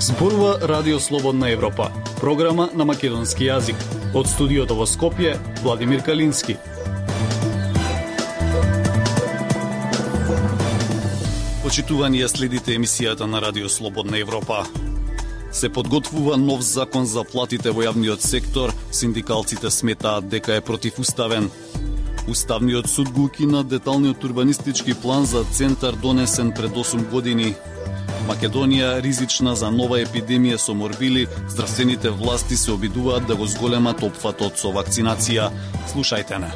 Зборува Радио Слободна Европа, програма на македонски јазик. Од студиото во Скопје, Владимир Калински. Почитувани ја следите емисијата на Радио Слободна Европа. Се подготвува нов закон за платите во јавниот сектор, синдикалците сметаат дека е противуставен. Уставниот суд го укина деталниот урбанистички план за центар донесен пред 8 години. Македонија ризична за нова епидемија со морбили, здравствените власти се обидуваат да го зголемат опфатот со вакцинација. Слушајте не.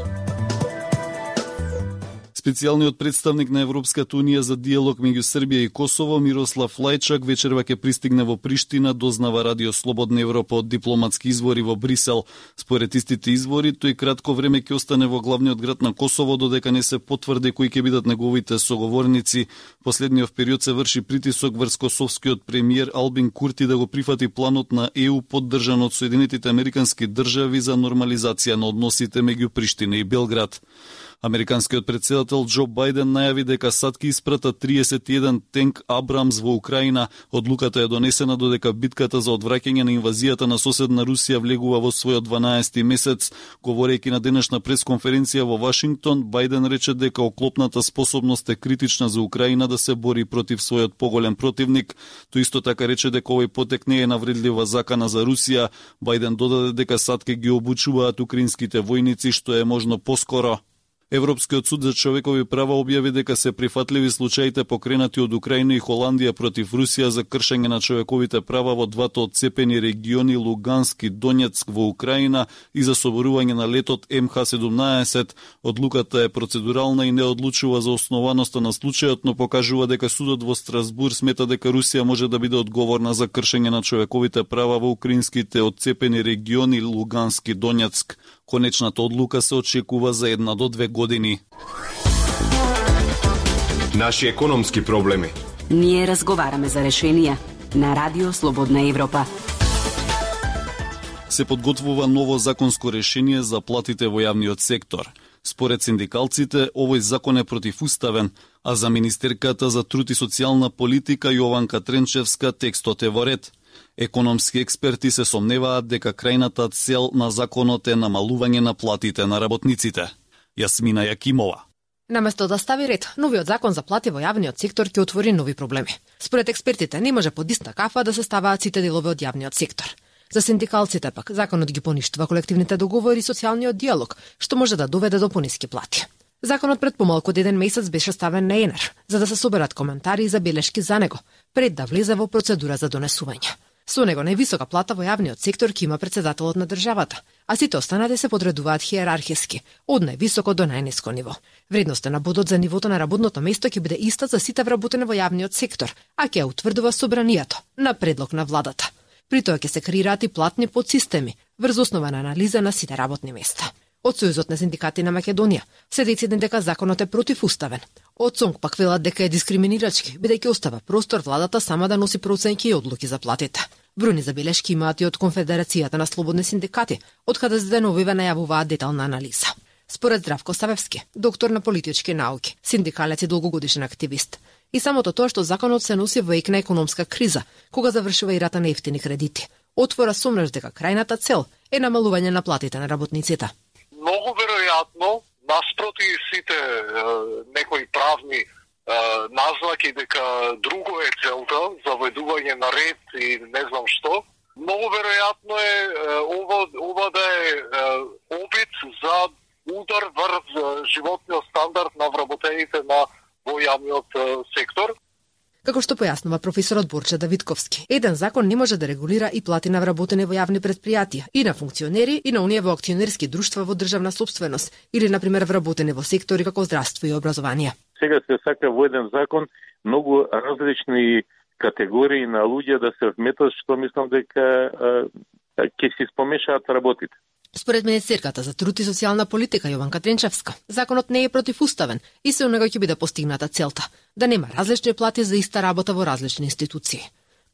Специјалниот представник на Европската Унија за диалог меѓу Србија и Косово, Мирослав Лајчак, вечерва ќе пристигне во Приштина, дознава Радио Слободна Европа од дипломатски извори во Брисел. Според истите извори, тој кратко време ќе остане во главниот град на Косово, додека не се потврди кои ќе бидат неговите соговорници. Последниот период се врши притисок врз косовскиот премиер Албин Курти да го прифати планот на ЕУ поддржан од Соединетите Американски држави за нормализација на односите меѓу Приштина и Белград. Американскиот претседател Џо Бајден најави дека САД ќе испрата 31 тенк Абрамс во Украина. Одлуката е донесена додека битката за одвраќање на инвазијата на соседна Русија влегува во својот 12-ти месец. Говорејќи на денешна пресконференција во Вашингтон, Бајден рече дека оклопната способност е критична за Украина да се бори против својот поголем противник. Тој исто така рече дека овој потек не е навредлива закана за Русија. Бајден додаде дека САД ќе ги обучуваат украинските војници што е можно поскоро. Европскиот суд за човекови права објави дека се прифатливи случаите покренати од Украина и Холандија против Русија за кршење на човековите права во двата одцепени региони Луганск и Донецк во Украина и за соборување на летот МХ-17. Одлуката е процедурална и не одлучува за основаноста на случајот, но покажува дека судот во Страсбур смета дека Русија може да биде одговорна за кршење на човековите права во украинските одцепени региони Луганск и Донецк. Конечната одлука се очекува за 1 до 2 години. Наши економски проблеми. Ние разговараме за решенија на Радио Слободна Европа. Се подготвува ново законско решение за платите во јавниот сектор. Според синдикалците, овој закон е противуставен, а за министерката за труд и социјална политика Јованка Тренчевска текстот е во ред. Економски експерти се сомневаат дека крајната цел на законот е намалување на платите на работниците. Јасмина Јакимова. Наместо да стави ред, новиот закон за плати во јавниот сектор ќе отвори нови проблеми. Според експертите, не може под иста кафа да се ставаат сите делови од јавниот сектор. За синдикалците пак, законот ги поништува колективните договори и социјалниот диалог, што може да доведе до пониски плати. Законот пред помалку од 1 месец беше ставен на ЕНЕР, за да се соберат коментари и забелешки за него, пред да влезе во процедура за донесување. Со него највисока плата во јавниот сектор ќе има претседателот на државата, а сите останати се подредуваат хиерархиски, од највисоко до најниско ниво. Вредноста на бодот за нивото на работното место ќе биде иста за сите вработени во јавниот сектор, а ќе ја утврдува собранието на предлог на владата. При тоа ќе се креираат и платни подсистеми врз основа на анализа на сите работни места. Од Сојузот на синдикати на Македонија се дециден дека законот е противуставен. Од СОНГ пак велат дека е дискриминирачки, бидејќи остава простор владата сама да носи проценки и одлуки за платите. Бројни забелешки имаат и од Конфедерацијата на слободни синдикати, од каде за деновиве најавуваат детална анализа. Според Здравко Савевски, доктор на политички науки, синдикалец и долгогодишен активист, и самото тоа што законот се носи во ек на економска криза, кога завршува и рата на ефтини кредити, отвора сомнеш дека крајната цел е намалување на платите на работниците. Многу веројатно, наспроти сите некои правни назнаки дека друго е целта, заведување на ред и не знам што, многу веројатно е ова да е обид за удар врз животниот стандард на вработените во јавниот сектор. Како што појаснува професорот Борче Давидковски, еден закон не може да регулира и плати на вработени во јавни предпријатија, и на функционери, и на оние во акционерски друштва во државна собственост, или, например, вработени во сектори како здравство и образование. Сега се сака во еден закон многу различни категории на луѓе да се вметат, што мислам дека ќе се спомешаат работите. Според министерката за труд и социјална политика Јованка Тренчевска, законот не е противуставен и со него ќе биде постигната целта да нема различни плати за иста работа во различни институции.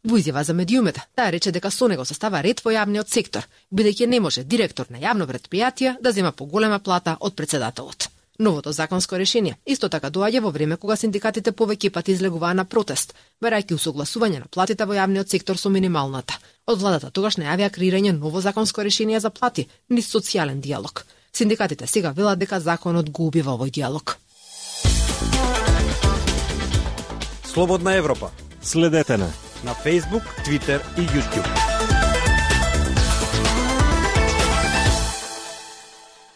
Во изјава за медиумите, таа рече дека со него се става ред во јавниот сектор, бидејќи не може директор на јавно претпријатие да зема поголема плата од претседателот. Новото законско решение исто така доаѓа во време кога синдикатите повеќе пати излегуваа на протест, барајќи усогласување на платите во јавниот сектор со минималната. Од владата тогаш најавија креирање ново законско решение за плати, низ социјален диалог. Синдикатите сега велат дека законот го убива овој диалог. Слободна Европа. Следете на Facebook, Twitter и YouTube.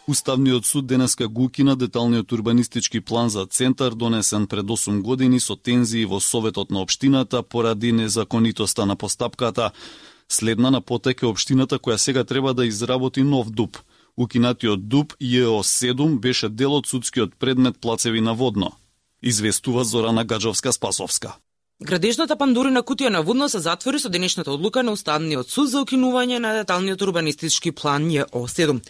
Уставниот суд денеска го укина деталниот урбанистички план за центар донесен пред 8 години со тензии во Советот на општината поради незаконитоста на постапката. Следна на потек е општината која сега треба да изработи нов ДУП. Укинатиот ДУП ЈО7 беше дел од судскиот предмет Плацеви на Водно. Известува Зорана Гаджовска-Спасовска. Градежната Пандорина кутија на Водно се затвори со денешната одлука на Уставниот суд за укинување на деталниот урбанистички план ЈО7.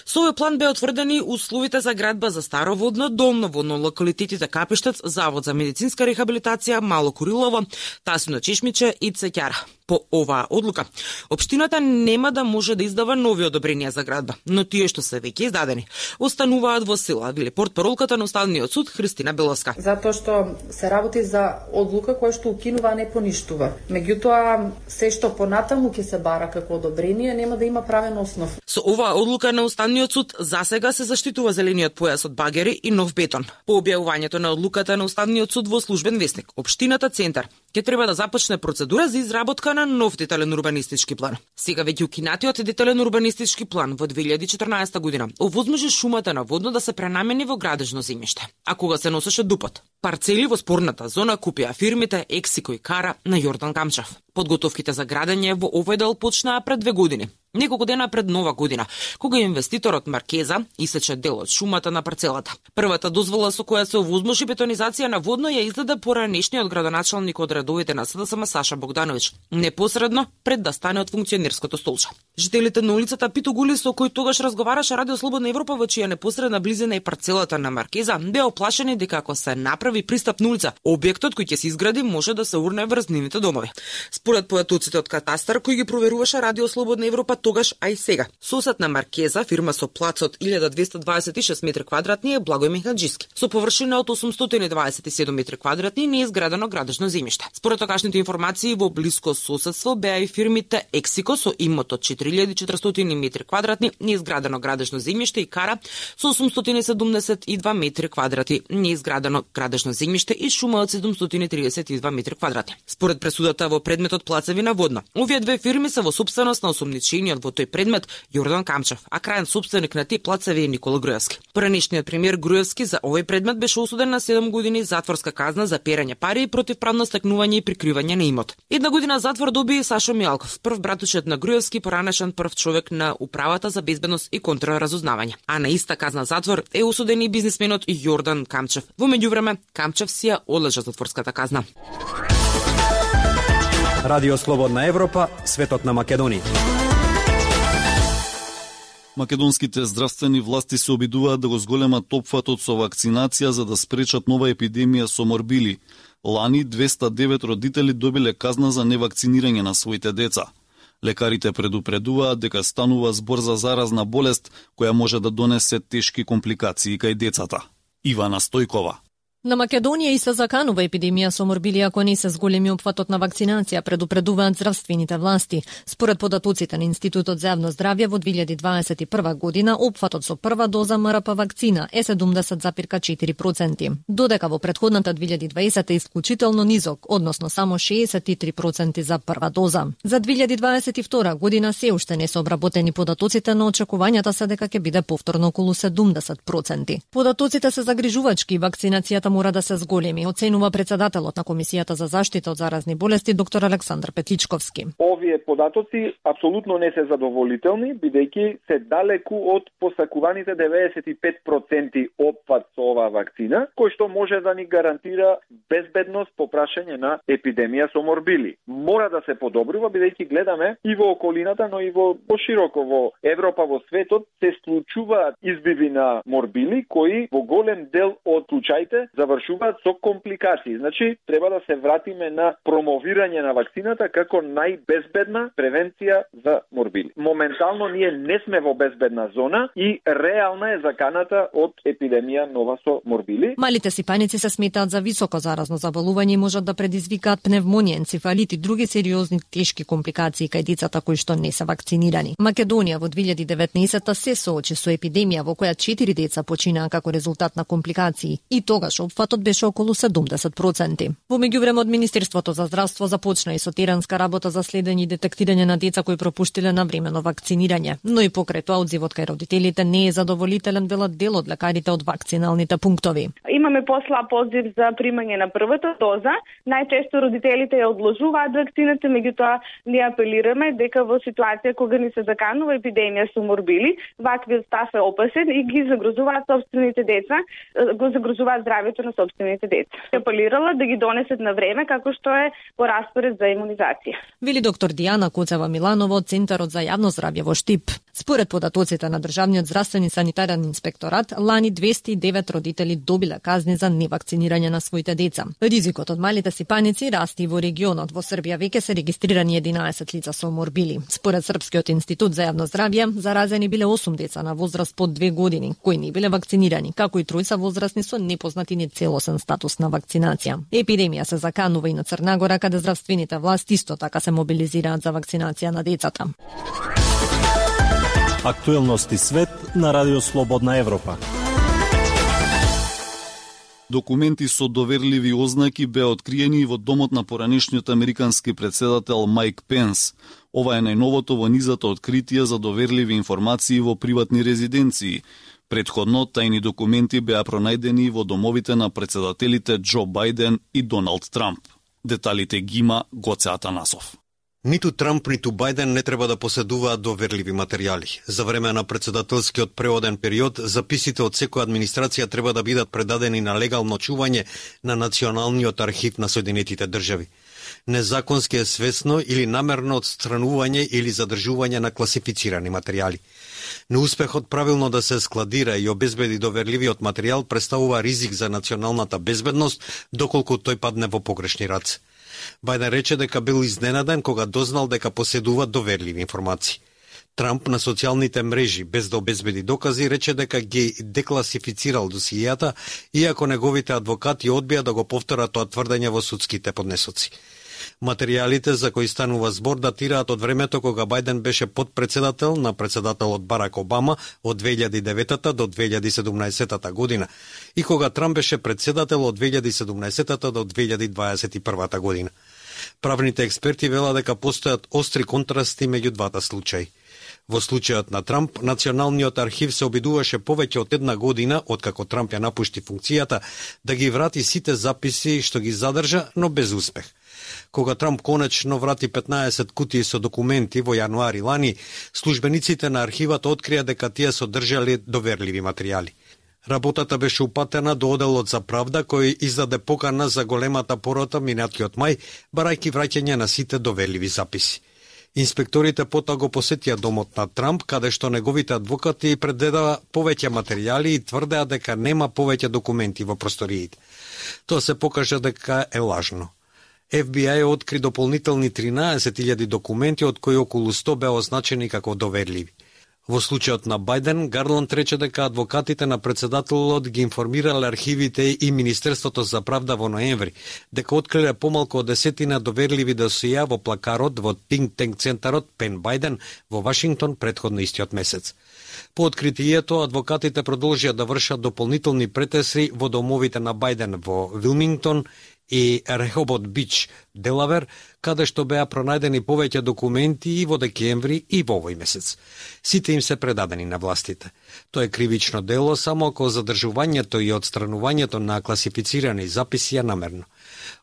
Со овој план беа утврдени условите за градба за Старо Водно, Долно Водно, локалитетите Капиштец, Завод за медицинска рехабилитација, Мало Курилово, Тасино Чешмиче и Цеќара. По оваа одлука, општината нема да може да издава нови одобренија за градба, но тие што се веќе издадени остануваат во сила, вели портпаролката на Уставниот суд Христина Беловска. Затоа што се работи за одлука која што укинува, а не поништува. Меѓутоа, се што понатаму ќе се бара како одобрение нема да има правен основ. Со оваа одлука на Уставниот суд засега се заштитува зелениот појас од багери и нов бетон. По објавувањето на одлуката на Уставниот суд во службен весник, општината Центар ќе треба да започне процедура за изработка на нов детален урбанистички план. Сега веќе укинатиот детален урбанистички план во 2014 година овозможи шумата на Водно да се пренамени во градежно земјиште. А кога се носеше ДУПот, парцели во спорната зона купија фирмите Ексико и Кара на Јордан Камчев. Подготовките за градење во овој дел почнаа пред 2 години. Неколку дена пред Нова година, кога инвеститорот Маркеза исече дел од шумата на парцелата. Првата дозвола со која се овозможи бетонизација на Водно ја издаде поранешниот градоначалник од редовите на СДСМ Саша Богдановиќ, непосредно пред да стане од функционерското столче. Жителите на улицата Пито Гули, со кој тогаш разговараше Радио Слободна Европа, во чија непосредна близина и парцелата на Маркеза, беа оплашени дека ако се направи пристапна улица, објектот кој ќе се изгради може да се урне врз нивните домови. Според појатоците од катастар кои ги проверуваше Радио Слободна Европа тогаш, а и сега. Сосед на Маркеза, фирма со плац од 1226 метри квадратни е Благој Мехаджиски, со површина од 827 метри квадратни неизградено градежно земјиште. Според тогашните информации, во блиско соседство беа и фирмите Ексико со имот од 4400 метри квадратни неизградено градежно земјиште и Кара со 872 метри квадрати неизградено градежно земјиште и шума од 732 метри квадрати. Според пресудата во предметот Плацеви на Водно, овие две фирми се во собственост на осомничениот во тој предмет Јордан Камчев, а крајен собственик на тие плацеви е Никола Груевски. Поранешниот премиер Груевски за овој предмет беше осуден на 7 години затворска казна за перање пари и противправно стекнување и прикривање на имот. 1 година затвор доби и Сашо Мијалков, прв братучет на Груевски, поранешен прв човек на Управата за безбедност и контраразузнавање. А на иста казна затвор е осуден и бизнисменот Јордан Камчев. Во меѓувреме, Камчев си ја одлежа затворската казна. Радио Слободна Европа, светот на Македонија. Македонските здравствени власти се обидуваат да го зголемат опфатот со вакцинација за да спречат нова епидемија со морбили. Лани 209 родители добиле казна за невакцинирање на своите деца. Лекарите предупредуваат дека станува збор за заразна болест која може да донесе тешки компликации кај децата. Ивана Стојкова. На Македонија и се заканува епидемија со морбили ако не се зголеми опфатот на вакцинација, предупредуваат здравствените власти. Според податоците на Институтот за јавно здравје во 2021 година опфатот со прва доза МРП вакцина е 70,4%, додека во претходната 2020 е исклучително низок, односно само 63% за прва доза. За 2022 година се уште не се обработени податоците, но очекувањата се дека ќе биде повторно околу 70%. Податоците се загрижувачки, вакцинацијата мора да се зголеми, оценува председателот на Комисијата за заштита од заразни болести доктор Александар Петличковски. Овие податоци апсолутно не се задоволителни, бидејќи се далеку од посакуваните 95% опфат со оваа вакцина, кој што може да ни гарантира безбедност по прашање на епидемија со морбили. Мора да се подобрува, бидејќи гледаме и во околината, но и во пошироко во Европа, во светот се случуваат избиви на морбили кои во голем дел од случаите завршуваат со компликации. Значи, треба да се вратиме на промовирање на вакцината како најбезбедна превенција за морбили. Моментално ние не сме во безбедна зона и реална е заканата од епидемија нова со морбили. Малите сипаници се сметаат за високо заразно заболување и можат да предизвикаат пневмонија, енцефалит и други сериозни тешки компликации кај децата кои што не се вакцинирани. Македонија во 2019 се соочи со епидемија во која 4 деца починаа како резултат на компликации и тогаш опфатот беше околу 70%. Во меѓувреме од Министерството за здравство започна и со теранска работа за следење и детектирање на деца кои пропуштиле навремено вакцинирање, но и покрај тоа одзивот кај родителите не е задоволителен, велат дел од лекарите од вакциналните пунктови. Имаме послаб одзив за примање на првата доза. Најчесто родителите ја одложуваат вакцината, меѓутоа ние апелираме дека во ситуација кога ни се заканува епидемија со морбили, ваквиот став е опасен и ги загрозуваат собствените деца, го загрозуваат здравјето на собствените деца. Апелирала да ги донесат на време како што е по распоред за имунизација. Вели доктор Дијана Коцева-Миланова од Центарот за јавно здравје во Штип. Според податоците на Државниот здравствен и санитарен инспекторат, лани 209 родители добиле казни за невакцинирање на своите деца. Ризикот од малите сипаници расти во регионот. Во Србија веќе се регистрирани 11 лица со морбили. Според Српскиот институт за јавно здравје, заразени биле 8 деца на возраст под 2 години, кои не биле вакцинирани, како и тројца возрастни со непознат и нецелосен статус на вакцинација. Епидемија се заканува и на Црна Гора, каде здравствените власти исто така се мобилизираат за вакцинација на децата. Актуелности свет на Радио Слободна Европа. Документи со доверливи ознаки беа откриени во домот на поранешниот американски претседател Майк Пенс. Ова е најновото во низата откритија за доверливи информации во приватни резиденции. Предходно, тајни документи беа пронајдени во домовите на претседателите Џо Бајден и Доналд Трамп. Деталите ги има Гоце Атанасов. Ниту Трамп, ниту Бајден не треба да поседуваат доверливи материјали. За време на претседателскиот преоден период, записите од секоја администрација треба да бидат предадени на легално чување на Националниот архив на Соединетите држави. Незаконски е свесно или намерно отстранување или задржување на класифицирани материјали. Неуспехот правилно да се складира и обезбеди доверливиот материјал представува ризик за националната безбедност, доколку тој падне во погрешни раце. Бајден рече дека бил изненаден кога дознал дека поседува доверливи информации. Трамп на социјалните мрежи, без да обезбеди докази, рече дека ги декласифицирал досијата, иако неговите адвокати одбија да го повторат тоа тврдење во судските поднесоци. Материјалите за кои станува збор датираат од времето кога Бајден беше подпредседател на председателот Барак Обама од 2009 до 2017 година и кога Трамп беше председател од 2017 до 2021 година. Правните експерти велат дека постојат остри контрасти меѓу двата случаи. Во случајот на Трамп, Националниот архив се обидуваше повеќе од една година, откако Трамп ја напушти функцијата, да ги врати сите записи што ги задржа, но без успех. Кога Трамп конечно врати 15 кутии со документи во јануари лани, службениците на архивот открија дека тие содржале доверливи материјали. Работата беше упатена до Оделот за правда, кој издаде покана за големата порота минатиот мај, барајќи враќање на сите доверливи записи. Инспекторите потоа го посетија домот на Трамп, каде што неговите адвокати предадоа повеќе материјали и тврдеа дека нема повеќе документи во просториите. Тоа се покажа дека е лажно. FBI откри дополнителни 13.000 документи, од кои околу 100 беа означени како доверливи. Во случајот на Бајден, Гарланд рече дека адвокатите на председателот ги информирале архивите и Министерството за правда во ноември, дека откриле помалку од 10 доверливи досија во плакарот во Think Tank центарот Пен Бајден во Вашингтон предходно истиот месец. По откритието, адвокатите продолжија да вршат дополнителни претеси во домовите на Бајден во Вилмингтон и Рехобот Бич, Делавер, каде што беа пронајдени повеќе документи и во декември и во овој месец. Сите им се предадени на властите. Тоа е кривично дело само ако задржувањето и отстранувањето на класифицирани записи е намерно.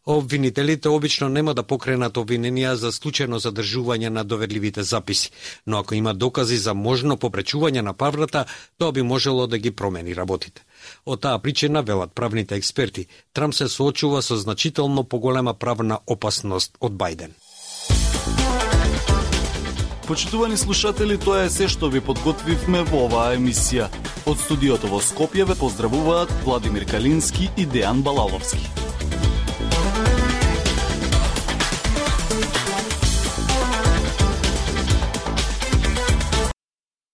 Обвинителите обично нема да покренат обвиненија за случајно задржување на доверливите записи, но ако има докази за можно попречување на правдата, тоа би можело да ги промени работите. Од таа причина, велат правните експерти, Трамп се соочува со значително поголема правна опасност од Бајден. Почитувани слушатели, тоа е се што ви подготвивме во оваа емисија. Од студиото во Скопје ве поздравуваат Владимир Калински и Дејан Балаловски.